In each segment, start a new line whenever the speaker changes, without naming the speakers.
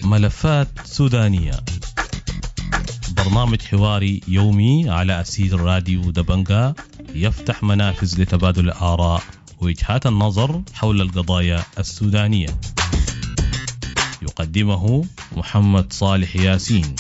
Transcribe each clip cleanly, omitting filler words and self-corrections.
ملفات سودانية، برنامج حواري يومي على أسير راديو دبنجا، يفتح منافذ لتبادل الآراء ووجهات النظر حول القضايا السودانية. يقدمه محمد صالح ياسين.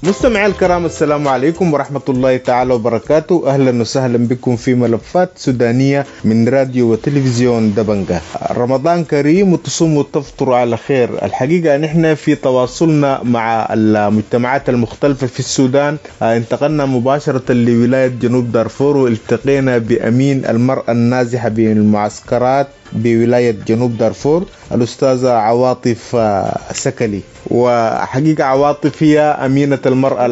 مستمعي الكرام، السلام عليكم ورحمة الله تعالى وبركاته. أهلا وسهلا بكم في ملفات سودانية من راديو وتلفزيون دبنجة. رمضان كريم وتصوموا وتفطروا على خير. الحقيقة نحن في تواصلنا مع المجتمعات المختلفة في السودان انتقلنا مباشرة لولاية جنوب دارفور والتقينا بأمين المرأة النازحة بالمعسكرات بولاية جنوب دارفور الأستاذة عواطف سكلي. وحقيقة عواطف هي أمينة المرأة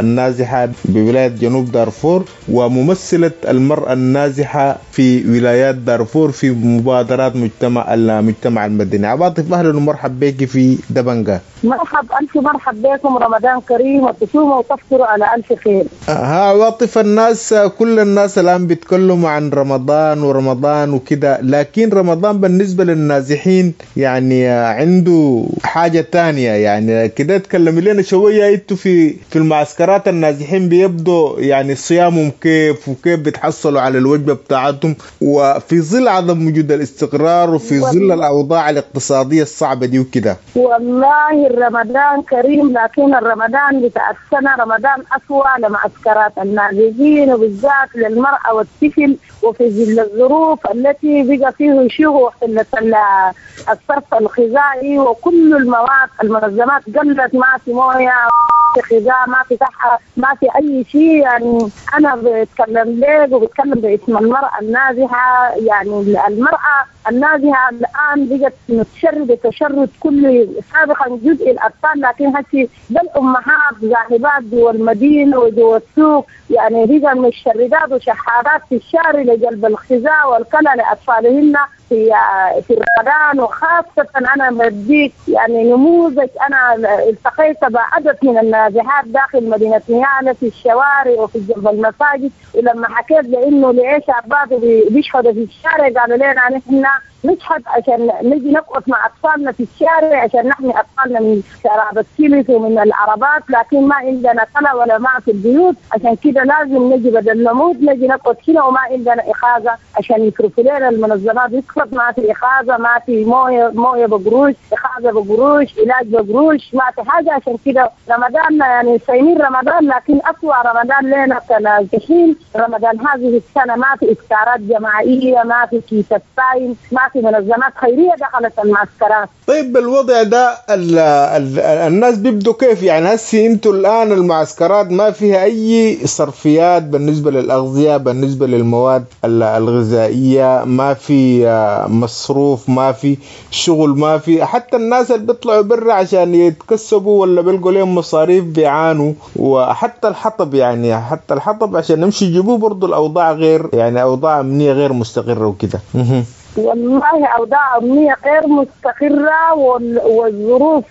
النازحة بولاية جنوب دارفور وممثلة المرأة النازحة في ولايات دارفور في مبادرات المجتمع المدني. عواطف، أهلا ومرحب بك في دبنجة.
مرحب، ألف مرحب بكم، رمضان كريم وتصوموا وتفطروا على ألف خير.
عواطف، الناس كل الناس الآن بيتكلموا عن رمضان ورمضان وكده، لكن رمضان بالنسبة للنازحين يعني عنده حاجة تانية. يعني كده تكلمي لنا شوية، انتوا في المعسكرات النازحين بيبدوا يعني صيامهم كيف، وكيف بيتحصلوا على الوجبة بتاعتهم، وفي ظل عدم وجود الاستقرار وفي ظل الأوضاع الاقتصادية الصعبة دي وكده.
والله رمضان كريم، لكن الرمضان بتاع السنة رمضان أسوأ لمعسكرات النازحين وبالذات للمرأة والطفل، وفي ظل الظروف التي بقى فيه شيوخ قلة الصرف الغذائي وكل المواد، المنظمات قلت، ما في مويه، ما في غذاء، ما في صحة، ما في أي شيء. يعني أنا بتكلم لك وبتكلم باسم المرأة النازحة. يعني المرأة النازحة الآن بقت متشردة تشرد كل، سابقا جزء الأطفال، لكن هسي بالأمهات ذاهبات جوا المدينة وجوا السوق، يعني بقى متشردات وشحارات في الشارع لجلب الغذاء والكلى لأطفالهن في رمضان. وخاصة أنا بديك يعني نموذج، أنا التقيت بعدد من النازحات داخل مدينة نيالا في الشوارع وفي جنب المساجد، ولما حكيت لأنه لإيش شابات بيشحدوا في الشارع، قالوا لنا نحن نشحد عشان نجي نقف مع أطفالنا في الشارع عشان نحمي أطفالنا من شراب السلس ومن العربات، لكن ما عندنا كلا ولا ماء في البيوت، عشان كده لازم نجي بدل نموت نجي نقعد هنا، وما عندنا إخاذة عشان يصرفوا لنا المنظمات، يصرف ما في إخاذة، ما في موية بقروش، إخاذة بقروش، علاج بقروش، ما في حاجة. عشان كده رمضان يعني صايمين رمضان، لكن أسوأ رمضان لنا كنازحين رمضان هذه السنة. ما في إفطارات جماعية، ما في كيس صايم، ما في منظمات خيرية دخلت المعسكرات.
طيب الوضع ده الناس بيبدوا كيف؟ يعني هسي انتوا الآن المعسكرات ما فيها أي صرفيات بالنسبة للأغذية، بالنسبة للمواد الغذائية، ما في مصروف، ما في شغل، ما في حتى الناس اللي بيطلعوا برا عشان يتكسبوا ولا بيلقوا لهم مصاريف بيعانوا، وحتى الحطب، يعني حتى الحطب عشان نمشي يجيبوه برضو الأوضاع غير، يعني أوضاع أمنية غير مستقرة وكده.
والله أوضاع أمنية غير مستقرة والظروف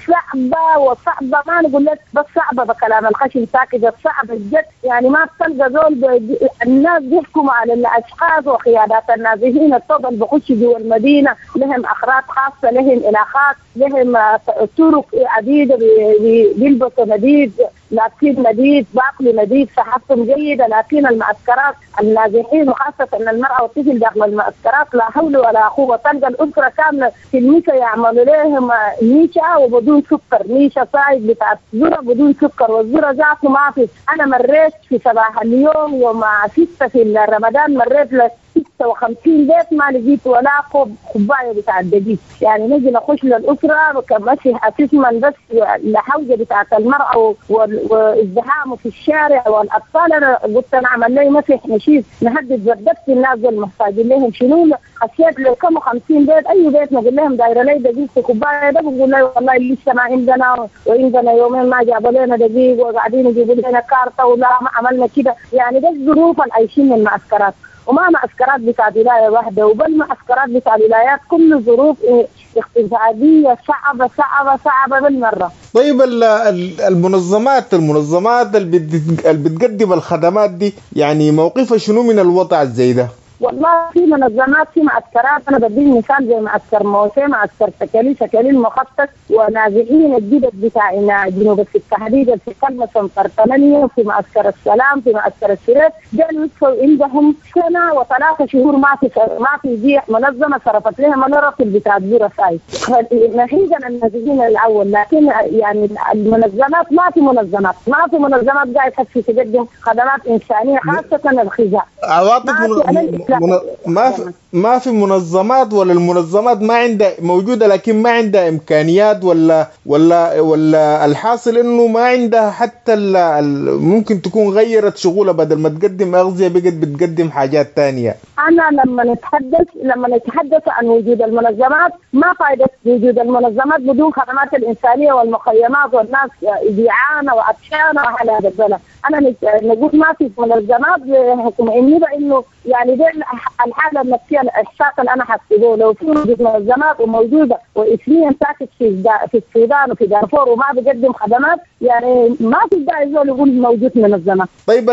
صعبة وصعبة، ما نقول لك بس صعبة بكلام الخشن ساكت، صعبة جد. يعني ما بتلقى زول الناس بيحكموا على الأشخاص وقيادات النازحين الطب اللي بخش جوا المدينة لهم أخراج خاصة، لهم علاقات، لهم طرق عديدة، بيلبسوا مديد، لابسين مديد، باكلوا مديد، صحتهم جيدة. لكن المعسكرات النازحين وخاصة المرأة والطفل داخل المعسكرات لا حول ولا قوة. تلقى الأسرة كاملة في الميشة يعملوا لهم ميشة وبدون سكر، ميشة صايد بتاع ذرة بدون سكر، والذرة ذاته ما في. أنا مريت في صباح اليوم يوم 6 في رمضان، مريت ل 56 بيت ما لقيت ولا كوباية بتاع الدقيق. يعني نجي نخش للاسرة كمسح اسما بس الحوجه بتاعت المراة وازدحامه في الشارع والاطفال. انا قلت انا اعمل لي مسح نشيد نهدد زردت الناس المحتاجين لهم شنو. خشيت لكم 50 بيت، اي بيت نقول لهم دايرة لي دقيق في كوباية ده، بقول لي والله لسه ما عندنا، وعندنا يومين ما جابوا لنا دقيق وقاعدين يجيبوا لنا كارته ولا ما عملنا كده. يعني ده الظروف اللي عايشين من المعسكرات، وما معسكرات بتاع ولاية واحدة، وبل معسكرات بتاع الولايات كل ظروف اقتصادية صعبة صعبة صعبة بالمرة.
طيب المنظمات اللي بتقدم الخدمات دي يعني موقفها شنو من الوضع زي ده؟
والله في منظمات في معسكرات، انا بديك مثال زي معسكر موسى، معسكر سكالي المخطط، ونازحين الجدد بتاع جنوب التحديد في كلمة سنتر 8، في معسكر السلام، في معسكر السرير، دول عندهم سنة و3 شهور ما في جيح منظمة صرفت لهم الراتب بتاع الزورة ساي. ناهيجا النازحين الاول، لكن يعني المنظمات ما في منظمات قاعدة تقدم خدمات انسانيه خاصة الغذاء.
ما في منظمات، ولا المنظمات ما عندها موجودة لكن ما عندها إمكانيات، ولا ولا ولا الحاصل إنه ما عندها حتى ممكن تكون غيرت شغلها، بدل ما تقدم أغذية بقت بتقدم حاجات تانية.
أنا لما نتحدث عن وجود المنظمات، ما فائدة وجود المنظمات بدون خدمات الإنسانية والمخيمات والناس جيعانة وعطشانة على هذا البلد. أنا نقول ما في منظمات بحكم إني بإنه يعني دي الحالة النفسية الإحساس اللي أنا حسيته. لو في وجود منظمات وموجودة وإثنين ساكت في السودان وفي دارفور وما بيقدم خدمات، يعني ما في داعي زول يقول موجود منظمة.
طيب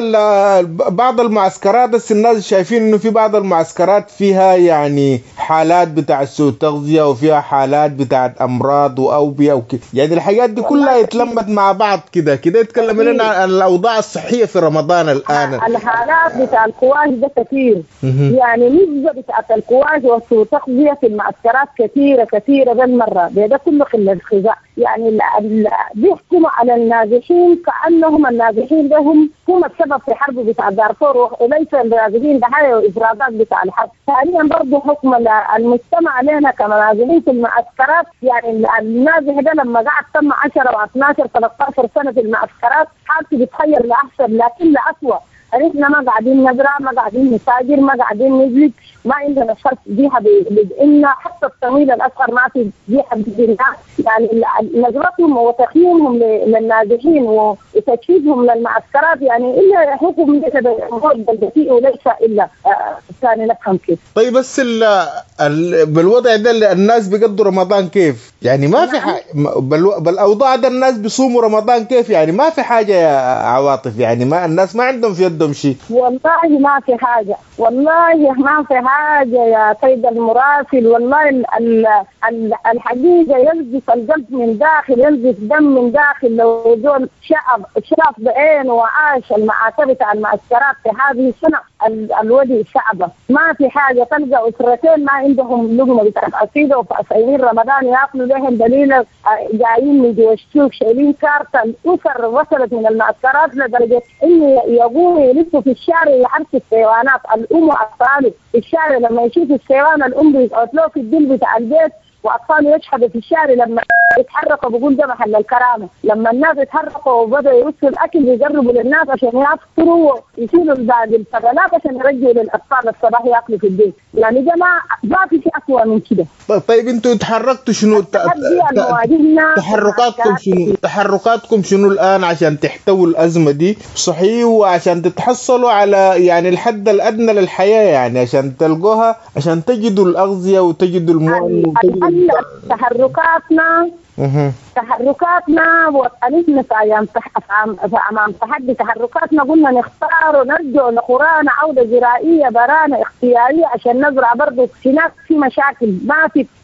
بعض المعسكرات، بس الناس شايفين إنه في بعض المعسكرات فيها يعني حالات بتاع سوء تغذية وفيها حالات بتاعت أمراض وأوبئة وكده، يعني الحاجات دي كلها اتلمت مع بعض كده كده. يتكلم لنا عن الأوضاع الصحية في رمضان الآن.
الحالات بتاع الكواش ده كثير، يعني نسبة بتاعت الكواش وسوء تغذية في المعسكرات كثيرة كثيرة بالمرة، ده كله قلة الغذاء. يعني بيحكموا على النازحين كأنهم النازحين ده هم السبب في حرب بتاع دارفور، وليس النازحين ضحايا وإفرازات بتاع الحرب. ثانيا برضه حكم المجتمع علينا كنازحين في المعسكرات، يعني النازح ده لما قعد تم 10 و12 13 سنة في المعسكرات حالته بتغير لأحسن لكن لأسوأ. احنا ما قاعدين نزرع، ما قاعدين نتاجر، ما قاعدين نجلد، ما عندنا شرط جهة بدئنا، حتى التمويل الاصغر ما في جهة بدئنا. يعني نظرتهم وتقييمهم للنازحين وتجهيزهم للمعسكرات يعني الا حكم ليس وليس الا ثاني نفهم كيف.
طيب بس بالوضع ده الناس بيقضوا رمضان كيف؟ يعني ما في حاجة بالاوضاع ده الناس بيصوموا رمضان كيف؟ يعني ما في حاجة يا عواطف، يعني ما الناس ما عندهم في يدهم شيء.
والله ما في حاجة، والله ما في حاجة يا سيد المراسل. والله الحقيقة ينزف القلب من داخل، ينزف دم من داخل. لو زول شاف بعينه وعاش المعاتبه بتاع المعسكرات في هذه السنة الودي صعبة، ما في حاجة. تلقى اسرتين ما عندهم لقمة بتاع عصيده وفي رمضان ياكلوا لهم دليل، جايين من جوا السوق شايلين كارته. الاسر وصلت من المعسكرات لدرجة انه يقوموا يلفوا في الشارع يحرسوا السيوانات، الام واطفاله في الشارع. لما يشوف السيوان الام بيقعد له في الدل بتاع البيت واطفاله يشحدوا في الشارع. لما يتحركوا بقول ده محل الكرامة. لما الناس يتحركوا وبدأوا يرسلوا الاكل بيقربوا للناس عشان يفطروا ويشيلوا باقي الفضلات عشان يرجعوا للاطفال الصباح ياكلوا في البيت. يعني ده ما في شيء اسوء من كده.
طيب انتوا تحركتوا شنو؟ تحركاتكم شنو؟ تحركاتكم شنو الان عشان تحتووا الازمة دي صحيح، وعشان تتحصلوا على يعني الحد الادنى للحياة، يعني عشان تلقوها، عشان تجدوا الاغذية وتجدوا المؤن وتجدوا
تحركاتنا وقفنا في ايام امام تحدي تحركاتنا. قلنا نختار ونرجع لقرانا عوده زراعية برانا اختيارية عشان نزرع. برضه هناك في مشاكل،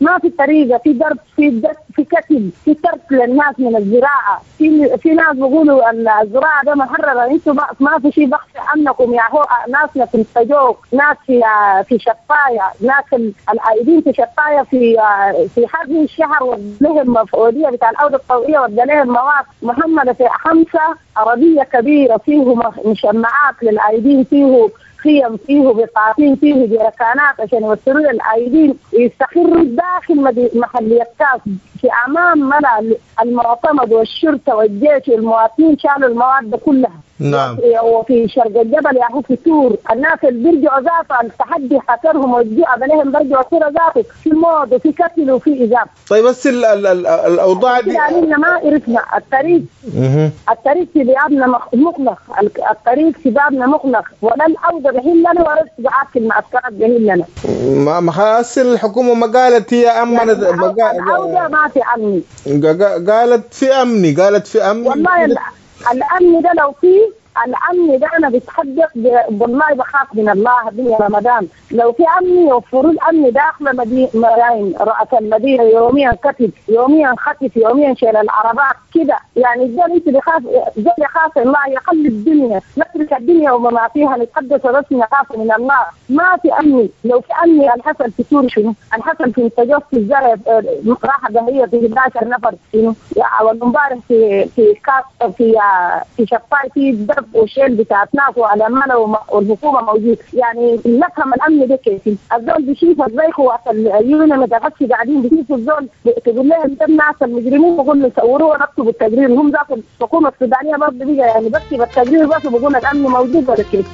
ما في طريقه، في ضرب، في دس، في كتل، في ترك للناس من الزراعة. في ناس بيقولوا الزراعة ده محرره، انتم ما في شيء بخش عنكم يا هو. ناسنا في الفجوق، ناس في شفايه، ناس العائدين في شفايه في هذه الشهر ولهم مفعوليه بتاع العودة الطوعيه، ودى لهم مواد محمله في 5 عربية كبيرة فيه مشمعات للعائدين، فيه خيم، فيه بطاطين، فيه جركانات عشان يوصلوا للعائدين ويستقروا داخل محلية كاس في امام ملا المعتمد والشرطة والجيش والمواطنين شالوا المواد كلها.
نعم.
وفي شرق الجبل يا هو في تور الناس اللي بيرجعوا ذاته التحدي حكرهم والجوع عليهم بيرجعوا تور ذاته في موت وفي قتل وفي إذاب.
طيب بس ال ال ال الاوضاع دي
يعني ما عرفنا الطريق. الطريق في بابنا مغلق، الطريق في بابنا مغلق، ولا العودة بهن لنا ولا الاستدعاء في المعسكرات بهن لنا.
ما خلاص الحكومة ما قالت هي امنت،
يعني العودة ما في امن،
قالت في امني، قالت في امن.
والله الامن ده لو فيه الامن ده انا بتحدث والله بخاف من الله دنيا رمضان. لو في امن يوفروا الامن داخل مدينة رأس المدينة، يوميا قتل، يوميا خطف، يوميا شيل العربات كده. يعني الزول انت بخاف، الزول يخاف الله يخلي الدنيا، نترك الدنيا وما فيها، نتحدث بس نخاف من الله. ما في امن. لو في امن الحصل في سوريا شنو؟ الحصل في التجوف في الزرع راحة ظهريه في 11 نفر شنو؟ والمبارح في في كاس في في شفاي في درب وشيل بتاعت ناس وعلى والحكومة موجود. يعني نفهم الامن ده كيف؟ الزول بيشوف زي قوات اليونان متغشي قاعدين بيشوفوا الزول، تقول لهم ده الناس المجرمين، بقول له صوروه ونكتبوا التقرير. هم ذاك الحكومة السودانية برضه بقى يعني بكتب التقرير بس وبقول الامن موجود ولا كيف؟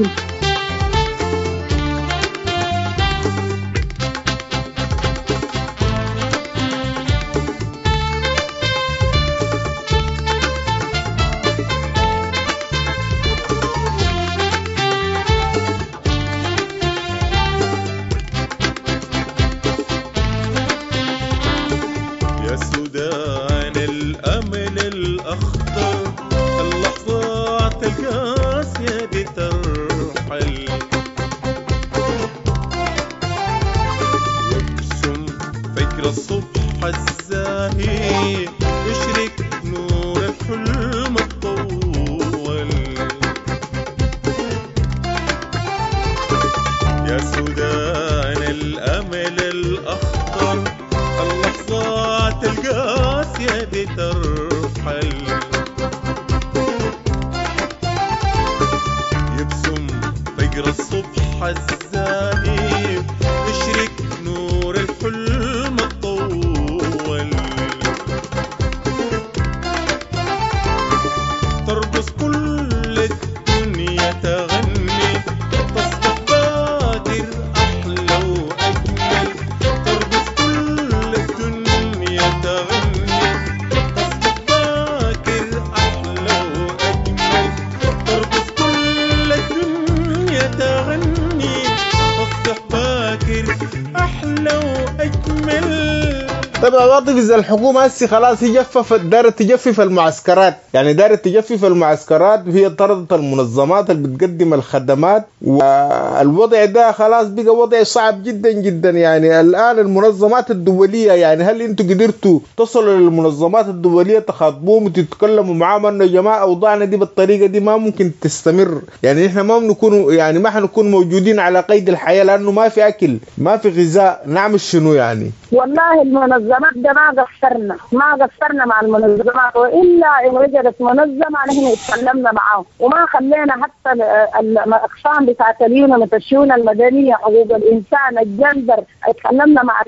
طيب عواطف، اذا الحكومة هسه خلاص هي جففت، دارت تجفف المعسكرات، يعني دارت تجفف المعسكرات وهي طردت المنظمات اللي بتقدم الخدمات، والوضع ده خلاص بقى وضع صعب جدا جدا. يعني الان المنظمات الدولية، يعني هل انتم قدرتوا تصلوا للمنظمات الدولية تخاطبوهم وتتكلموا معاهم انه يا جماعة اوضاعنا دي بالطريقة دي ما ممكن تستمر، يعني احنا ما بنكون، يعني ما حنكون موجودين على قيد الحياة لانه ما في اكل، ما في غذاء، نعمل شنو يعني؟
والله المنظمات ده ما قصرنا مع المنظمات، والا ان وجدت منظمة نحن اتكلمنا معاهم وما خلينا حتى الاقسام بتاعت اليونان الشؤون المدنية، حقوق الانسان، الجندر، اتكلمنا مع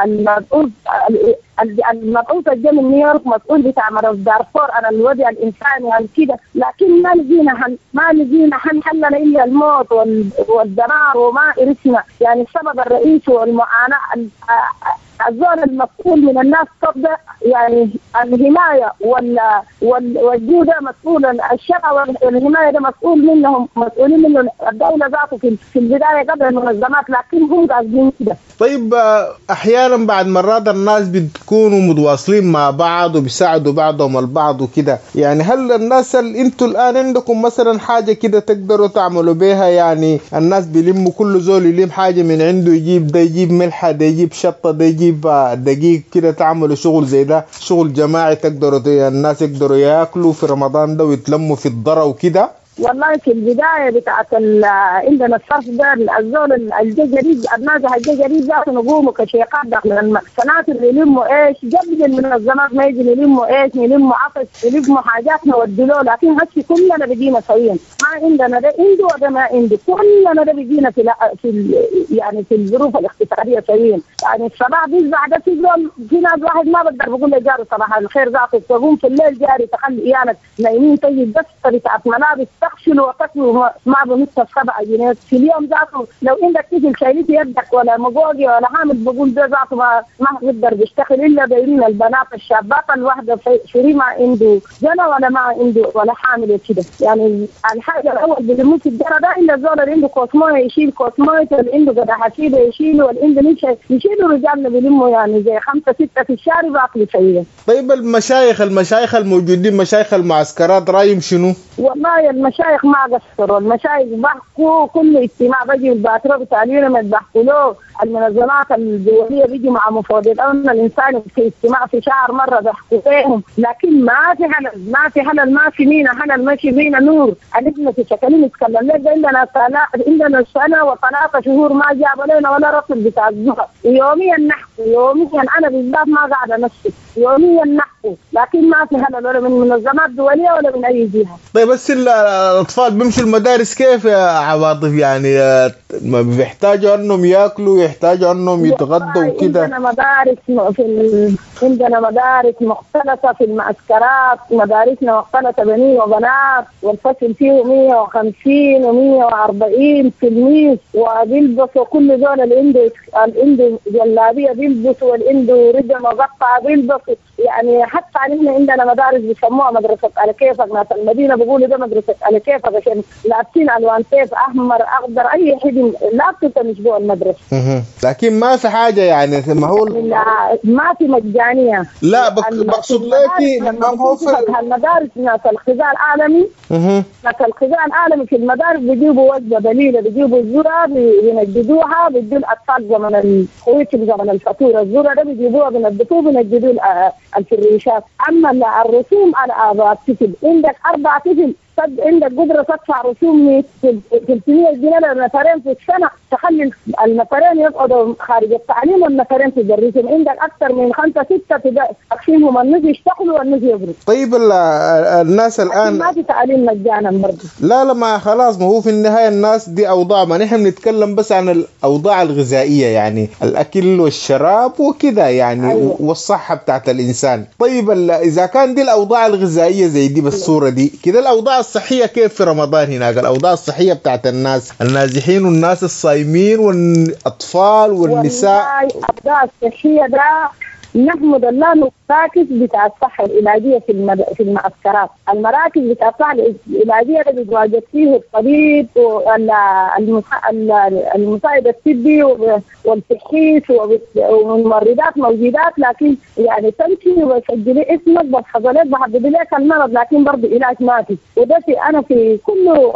المسؤول المبعوث الجاي من نيويورك، مسؤول بتاع مرض دارفور عن الوضع الانساني كده، لكن ما لقينا حل لنا الا الموت والدمار وما عرفنا. يعني السبب الرئيسي والمعاناة الزول المسؤول من الناس تبدا، يعني الحماية والجودة مسؤول، الشرع والحماية ده مسؤول منهم، مسؤولين منه الدولة ذاته في البداية قبل المنظمات، لكن هم قاصدين كده.
طيب احيانا بعد مرات الناس بتكونوا متواصلين مع بعض وبيساعدوا بعضهم البعض وكده، يعني هل الناس اللي انتوا الان عندكم مثلا حاجة كده تقدروا تعملوا بيها؟ يعني الناس بيلموا، كل زول يلم حاجة من عنده، يجيب ده، يجيب ملحة ده، يجيب شطه ده، يجيب دقيق كده، تعملوا شغل زي ده، شغل جماعي تقدروا الناس يقدروا ياكلوا في رمضان ده ويتلموا في الضرة وكده؟
والله في البداية بتاعت عندنا الصرف ده، الزول الجديد النازح الجديد ذاته نقوموا كشيقات داخل السناتر يلموا ايش قبل المنظمات ما يجي، يلموا ايش، يلموا عطش، يلموا حاجات نودلوه. لكن هسي كلنا بقينا سويا، ما عندنا ده عنده وده ما عنده، كلنا ده بقينا في في يعني في الظروف الاقتصادية سويا. يعني الصباح بيزع ده في زول، في ناس واحد ما بقدر بقول لجاره صباح الخير ذاته، تقوم في الليل جاري تخلي عيالك نايمين، تجي بس بتاعت ملابس تغسل وتكوي ما بنص 7 جنيه في اليوم ذاته. لو عندك طفل شايليه في يدك ولا مقوقي ولا حامل بقول ده ذاته ما بيقدر بيشتغل الا دايرين البنات الشابات، الواحدة فري ما عنده جنى ولا ما عنده ولا حامل كده. يعني الحاجة الاول بيلموه في الجرى ده الا الزول اللي عنده كوس مويه يشيل كوس مويه، اللي عنده قدح حسيبه يشيله، واللي عنده نشا يشيلوا. رجالنا بيلموا يعني زي 5 6 في الشارع باكلوا شيء.
طيب المشايخ الموجودين، مشايخ المعسكرات، رايهم شنو؟
والله المشايخ ما قصروا، المشايخ بحكوا كل اجتماع بيجي الباترو بتاع اليونمت بحكوا له، المنظمات الدولية بيجي مع مفوضية الامن الانساني في اجتماع في شهر مرة بيحكوا لهم، لكن ما في حلل، ما في حلل، ما في مينا حلل، ما في مينا نور. عندنا في شكلين نتكلم لك، عندنا سنة و3 شهور ما جابوا لنا ولا رطل بتاع الزهر. يوميا نحكوا، يوميا انا بالذات ما قاعدة نفسي، يوميا نحكوا، لكن ما في حلل ولا من منظمات دولية ولا من اي جهة.
طيب بس الاطفال بيمشوا المدارس كيف يا عواطف؟ يعني ما بيحتاجوا انهم ياكلوا، يحتاجوا انهم يتغدوا وكده.
عندنا مدارس مختلطة في المعسكرات، مدارسنا مختلطة بنين وبنات، والفصل فيه 150 و140 تلميذ، وبيلبسوا كل زول اللي عنده جلابية بيلبسوا، واللي عنده رجل مقطعه بيلبسوا. يعني حتى نحن عندنا مدارس بيسموها مدرسه على كيفك، ناس المدينة بيقولوا ده مدرسه على كيفك عشان لابسين الوان كيف، احمر اخضر اي حد لابسه مش جوا المدرسة.
لكن ما في حاجة يعني، ما هو
ما في مجانية.
لا بقصد لك
ما هو في المدارس ناس الغذاء العالمي، ناس الغذاء العالمي في المدارس بيجيبوا وجبة بليلة، بيجيبوا الذرة بينجدوها، بيدوا الاطفال زمن الخويت زمن الفاتورة، الذرة ده بيجيبوها بينظفوها بينجدوا الفريشات. اما الرسوم على اباء الطفل، عندك 4 طفل عندك قدرة تدفع رسوم 300 جنيه للنفرين في السنة، تخلي النفرين يقعدوا خارج التعليم والنفرين تدرسهم. عندك أكثر من 5 6 تقسيمهم، النص يشتغلوا والنص يبروا.
طيب الناس الآن
ما في تعليم مجانا برضه.
لا ما خلاص، ما هو في النهاية الناس دي أوضاع، ما نحن بنتكلم بس عن الأوضاع الغذائية، يعني الأكل والشراب وكذا يعني. أيوة. والصحة بتاعت الإنسان. طيب إذا كان دي الأوضاع الغذائية زي دي بالصورة دي كده، الأوضاع الصحية كيف في رمضان هناك؟ الأوضاع الصحية بتاعت الناس النازحين والناس الصايمين والأطفال والنساء.
والله الأوضاع الصحية ده نحمد الله المراكز بتاع الصحة العلاجية في المعسكرات، المراكز بتاع الصحة العلاجية اللي بيتواجد فيه الطبيب والمساعد الطبي والتشخيص والممرضات موجودات، لكن يعني تمشي وتسجلي اسمك بحفظ لك بحدد لك المرض، لكن برضه علاج ما في. وده في انا في كل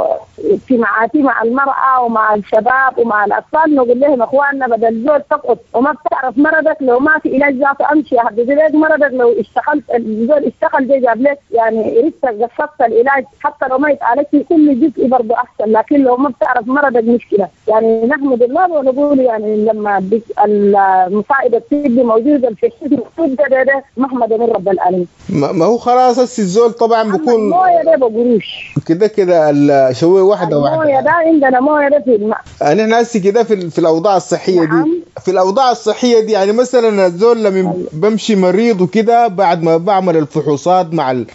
اجتماعاتي مع المرأة ومع الشباب ومع الأطفال نقول لهم اخواننا بدل زول تقعد وما بتعرف مرضك، لو ما في علاج ذاته امشي احدد لك مرضك، لو اشتغلت الزول اشتغل زي جاب لك يعني ريتك قصدت العلاج حتى لو ما يتعالجش كل جزء برضه احسن، لكن لو ما بتعرف مرضك مشكلة. يعني نحمد الله ونقول يعني لما المساعد الطبي موجودة في الحزب ده محمد من رب العالمين.
ما هو خلاص الزول طبعا بيكون
المويه ده بقروش
كده كده شوية واحدة واحدة.
المويه ده عندنا مويه ده في الماء.
نحن هسه كده في الاوضاع الصحية. نعم. دي في الاوضاع الصحية دي يعني مثلا الزول لما بمشي مريض وكده بعد ما بعمل الفحوصات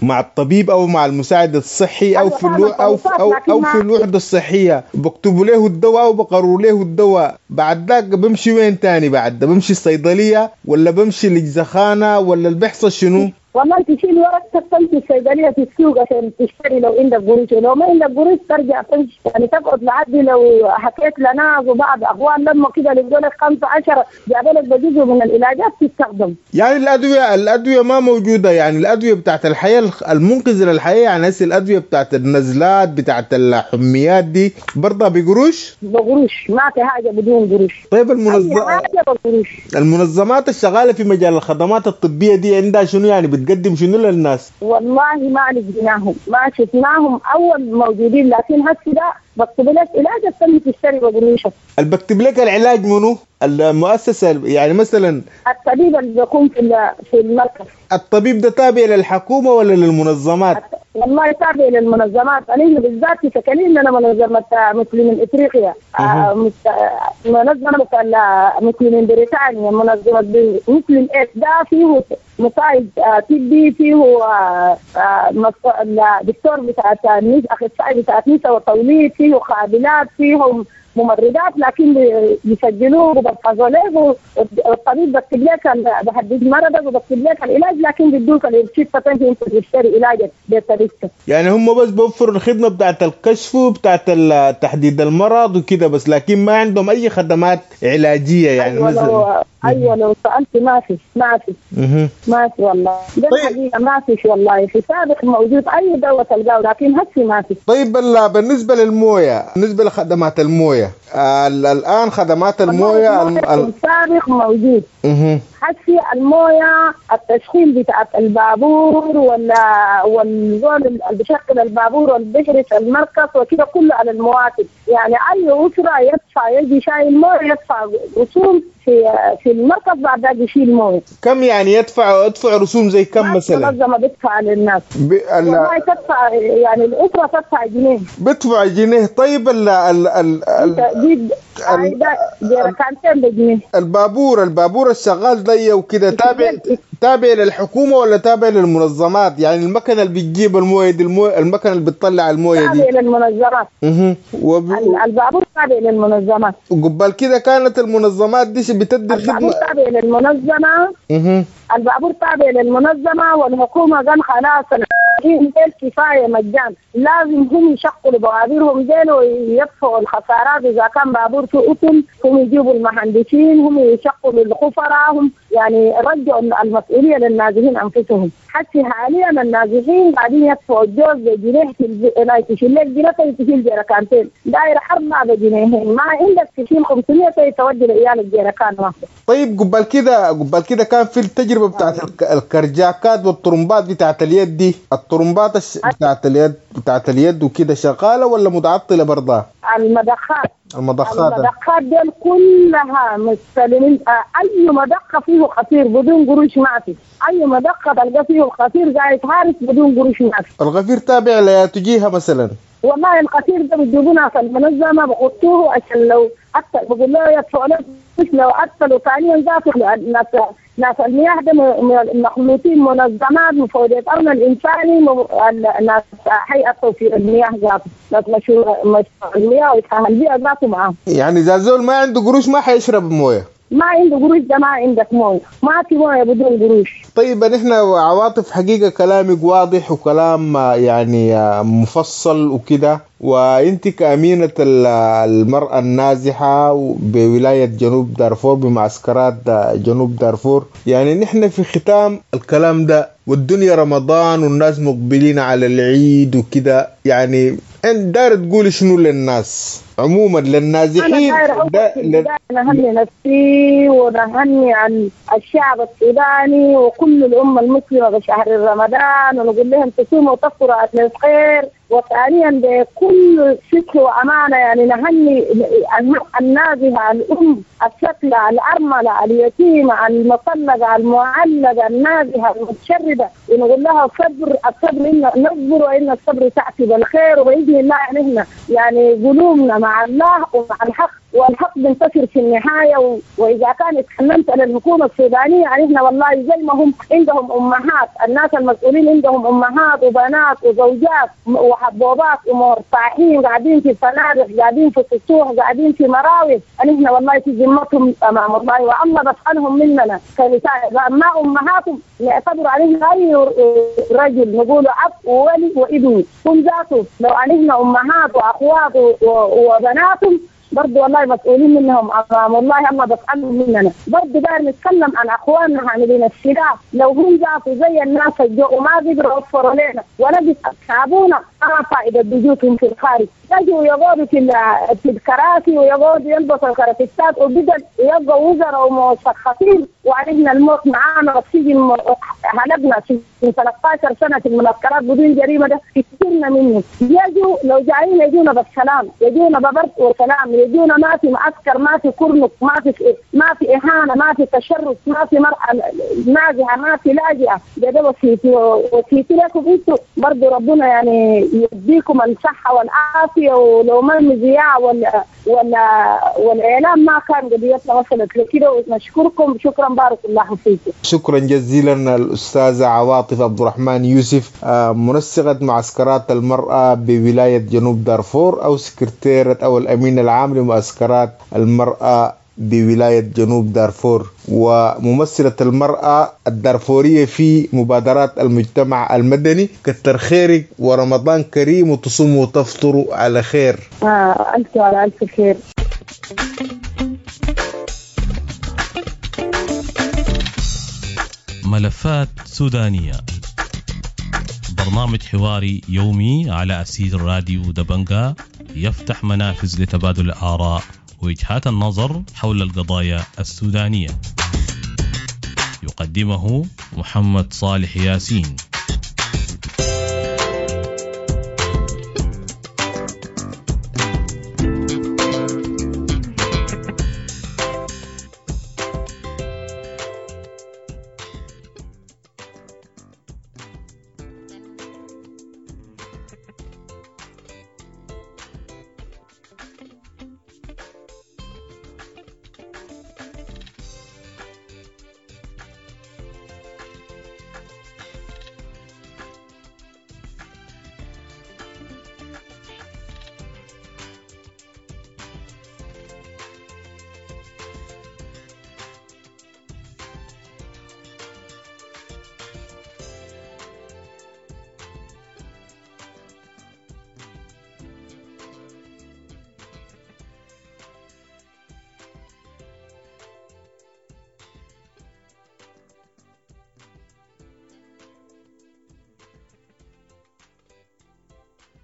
مع الطبيب او مع المساعد الصحي او في أو أو أو في الوحدة الصحية بكتبوا له الدواء وبقروا له الدواء، بعد ذاك بمشي وين تاني؟ بعد ده بمشي الصيدلية ولا بمشي للجزخانه ولا اللي بيحصل شنو؟
والله تشيل ورقتك تمشي الصيدلية في السوق عشان تشتري لو عندك قروش، ولو ما عندك قروش ترجع تمشي يعني تقعد لحد لو حكيت لناس وبعض اخوان لما كده اللي لك 15 جاب لك بجزء من العلاجات تستخدم.
يعني الادوية ما موجودة، يعني الادوية بتاعت الحياة المنقذه للحياة، يعني هسه الادوية بتاعت النزلات بتاعت الحميات دي برضه بقروش؟
بقروش، ما في حاجة بدون قروش.
طيب المنظمات الشغاله في مجال الخدمات الطبية دي عندها شنو يعني؟ بتقدم شنو للناس؟
والله ما لقيناهم، ما شفناهم اول موجودين، لكن هسه ده بكتب لك علاج السنة تشتري بقروشك.
اللي بكتب لك العلاج منو؟ المؤسسة يعني مثلا
الطبيب اللي بيكون في المركز.
الطبيب ده تابع للحكومة ولا للمنظمات؟
والله تابع للمنظمات، أنا بالذات في سكنين أنا منظمة مسلمين إفريقيا، منظمة مسلمين بريطانيا، منظمة مسلم إيد، ده فيه مساعد طبي، فيه دكتور بتاع أخصائي بتاع نساء وتوليد، فيه قابلات، فيهم ممرضات، لكن بيسجلوه وبيحفظوا له، والطبيب بكتب لك بحدد مرضك وبكتب لك العلاج، لكن بيدوك الروشته انت تشتري علاجك بطريقتك.
يعني هم بس بيوفروا الخدمة بتاعت الكشف وبتاعت تحديد المرض وكده بس، لكن ما عندهم اي خدمات علاجية يعني.
أيوة مثلا ايوه لو سالت ما في ما في ما في والله. ده الحقيقة ما فيش والله، في سابق موجود اي دواء تلقاه، لكن هسه ما في.
طيب بالنسبة للمويه، بالنسبة لخدمات المويه الان، خدمات المويه
السابق موجود. هسه المويه التشغيل بتاعت البابور ولا والزول اللي بيشغل البابور واللي بيحرس المركز وكده كله على المواطن، يعني اي اسره يدفع يجي شايل مويه يدفع رسوم في المركز، بعد ذاك يشيل مويه.
كم يعني يدفع رسوم زي كم مثلا؟
المنظمة بتدفع للناس والله تدفع، يعني الاسرة تدفع جنيه،
بتدفع جنيه. طيب ال ال ال
جركانتين بجنيه.
البابور الشغال ده وكده تابع للحكومة ولا تابع للمنظمات؟ يعني المكنه اللي بتجيب المويه دي، المكنه اللي بتطلع المويه دي
تابع للمنظمات. البابور تابع للمنظمات.
وقبل كده كانت المنظمات دي بتدي الخدمة.
البابور تابع للمنظمة. البابور تابع للمنظمة، والحكومة قال خلاص ديل كفاية مجان، لازم هم يشغلوا بوابيرهم ديل ويدفعوا الخسارات. اذا كان بابور في قطن هم يجيبوا المهندسين، هم يشغلوا الخفراء، هم يعني رجعوا المسؤولية للنازحين انفسهم. حتى حاليا النازحين قاعدين يدفعوا الجوز بجنيه، تشيل لك جنيه تشيل جركانتين، داير 4 بجنيهين، ما عندك تشيل 500 تودي لعيالك جركان واحدة.
طيب قبل كده كان في التجربة بتاعت الكرجاكات والطرمبات بتاعت اليد دي، الطرمبات بتاعت اليد وكده شغالة ولا متعطلة برضه؟
المضخات
المضخات
دي كلها مستلمين. اي مضخه فيه خطير بدون قروش ما في، اي مضخه تلقى فيه الخطير قاعد حارس بدون قروش ما في.
الغفير تابع لتجيها مثلا؟
والله الخطير ده بيجيبونا في المنظمة بحطوه عشان لو حتى بقول له يدفعوا لك، لو قتلوا ثانيا ذاته ناس المياه ده مخلوطين منظمات مفوضية الأمن الإنساني، ناس هيئة توفير المياه ذاته، ناس مشروع المياه وإسعاف البيئة ذاته معاهم.
يعني إذا زول ما عنده قروش ما حيشرب مويه.
ما عنده قروش ده ما عندك مويه، ما في مويه بدون قروش.
طيب نحن عواطف حقيقة كلامك واضح وكلام يعني مفصل وكده، وانت كأمينة المرأة النازحة بولاية جنوب دارفور بمعسكرات جنوب دارفور، يعني نحن في ختام الكلام ده والدنيا رمضان والناس مقبلين على العيد وكده، يعني انت داير تقول شنو للناس عموما للنازحين؟
أنا نهني نفسي ونهني عن الشعب السوداني وكل الأمة المسلمة بشهر رمضان، ونقول لهم تصوموا وتفطروا على الخير. وثانيا بكل صدق وأمانة يعني نهني النازحة، الأم الشكلة، الأرملة، اليتيمة، المطلقة، المعلقة، النازحة، المتشردة، ونقول لها الصبر الصبر، إن نصبر وإن الصبر تأتي بالخير، وبإذن الله نحن يعني قلوبنا مع الله ومع الحق، والحق بينتصر في النهاية. وإذا كان اتكلمت على الحكومة السودانية يعني احنا والله زي ما هم عندهم أمهات، الناس المسؤولين عندهم أمهات وبنات وزوجات وحبوبات ومرتاحين قاعدين في فنادق، قاعدين في سطوح، قاعدين في مراوح، احنا والله في ذمتهم أمام الله، والله بسألهم مننا كنساء. ما أمهاتهم نعتبر عليهم أي رجل نقول أب وولي وابن، هم ذاته لو علينا أمهات وأخوات وبناتهم برضه والله مسؤولين منهم امام الله، الله بسالهم مننا. برضه داير نتكلم عن اخواننا حاملين السلاح، لو هم ذاتوا زي الناس الجو وما قدروا يوفروا لنا ولا بيسحبونا، ما فائدة وجودهم في الخارج. يجوا يقعدوا في الكراسي ويقعدوا يلبسوا الكرافتات وبدل يبقوا وزراء ومثقفين، وعرفنا الموت معانا والسجن هلبنا في 13 سنة في المعسكرات بدون جريمة، ده كثيرنا منه. يجوا لو جايين يجونا بالسلام، يجونا ببرد وسلام، يجونا ما في معسكر، ما في كرنك، ما في اهانه، ما في تشرد، ما في مرأة نازحه، ما في لاجئه. ده وصيتي وصيتي لكم انتم برضه، ربنا يعني يديكم الصحة والعافية. ولو ما المذياع ولا والاعلام ما كان قضيتنا وصلت لكده. ونشكركم، شكرا، بارك الله فيكم.
شكرا جزيلا الأستاذة عواطف عبد الرحمن يوسف، منسقة معسكرات المرأة بولاية جنوب دارفور، أو سكرتيرة أو الأمين العام لمعسكرات المرأة بولاية جنوب دارفور، وممثلة المرأة الدارفورية في مبادرات المجتمع المدني. كتر خيرك ورمضان كريم، وتصوموا وتفطروا على خير.
ألف على ألف خير.
ملفات سودانية، برنامج حواري يومي على أثير راديو دبنجا، يفتح منافذ لتبادل الآراء ووجهات النظر حول القضايا السودانية. يقدمه محمد صالح ياسين.